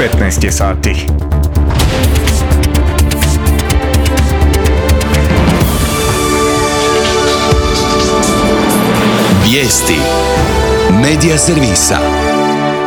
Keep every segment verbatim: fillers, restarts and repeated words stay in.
petnaest je sati. Vijesti Medija servisa.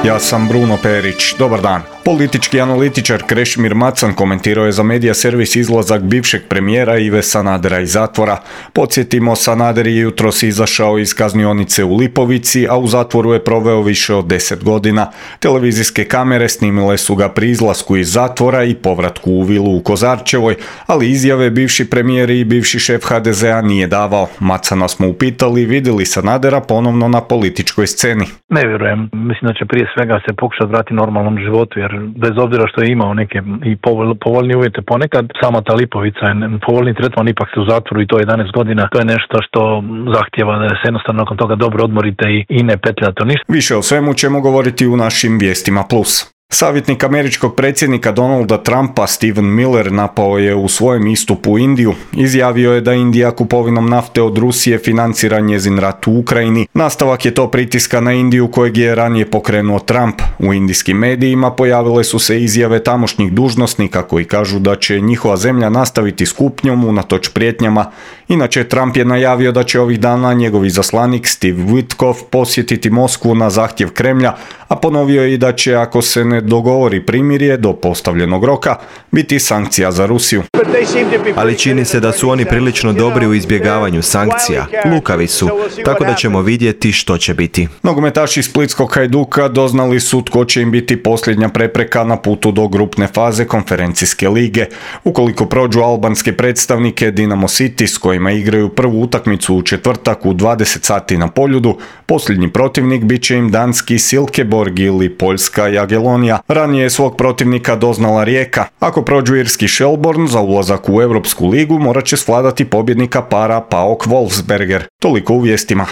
Ja sam Bruno Perić. Dobar dan. Politički analitičar Krešimir Macan komentirao je za Medija servis izlazak bivšeg premijera Ive Sanadera iz zatvora. Podsjetimo, Sanader je jutros izašao iz kaznionice u Lipovici, a u zatvoru je proveo više od deset godina. Televizijske kamere snimile su ga pri izlasku iz zatvora i povratku u vilu u Kozarčevoj, ali izjave bivši premijer i bivši šef ha de zea nije davao. Macana smo upitali vidi li Sanadera ponovno na političkoj sceni. Ne vjerujem. Mislim da će prije svega se pokušati vratiti normalnom životu, jer bez obzira što je imao neke i povoljne uvjete ponekad, sama ta Lipovica je povoljni tretman, ipak se u zatvoru i to jedanaest godina, to je nešto što zahtjeva da se jednostavno nakon toga dobro odmorite i, i ne petljate ništa. Više o svemu ćemo govoriti u našim Vijestima Plus. Savjetnik američkog predsjednika Donalda Trumpa Stephen Miller napao je u svojem istupu Indiju. Izjavio je da Indija kupovinom nafte od Rusije financira njezin rat u Ukrajini. Nastavak je to pritiska na Indiju kojeg je ranije pokrenuo Trump. U indijskim medijima pojavile su se izjave tamošnjih dužnosnika koji kažu da će njihova zemlja nastaviti s kupnjom unatoč prijetnjama. Inače, Trump je najavio da će ovih dana njegov izaslanik Steve Witkoff posjetiti Moskvu na zahtjev Kremlja, a ponovio je i da će, ako se ne dogovori primirje do postavljenog roka, biti sankcija za Rusiju. Ali čini se da su oni prilično dobri u izbjegavanju sankcija. Lukavi su, tako da ćemo vidjeti što će biti. Nogometaši splitskog Hajduka doznali su tko će im biti posljednja prepreka na putu do grupne faze konferencijske lige. Ukoliko prođu albanske predstavnike Dinamo City s kojima igraju prvu utakmicu u četvrtak u dvadeset sati na Poljudu, posljednji protivnik bit će im danski Silkeborg ili poljska Jagelonija. Ranije je svog protivnika doznala Rijeka. Ako prođu irski Shelbourne za ulazak u Europsku ligu, morat će svladati pobjednika para PAOK Wolfsberger. Toliko u vijestima.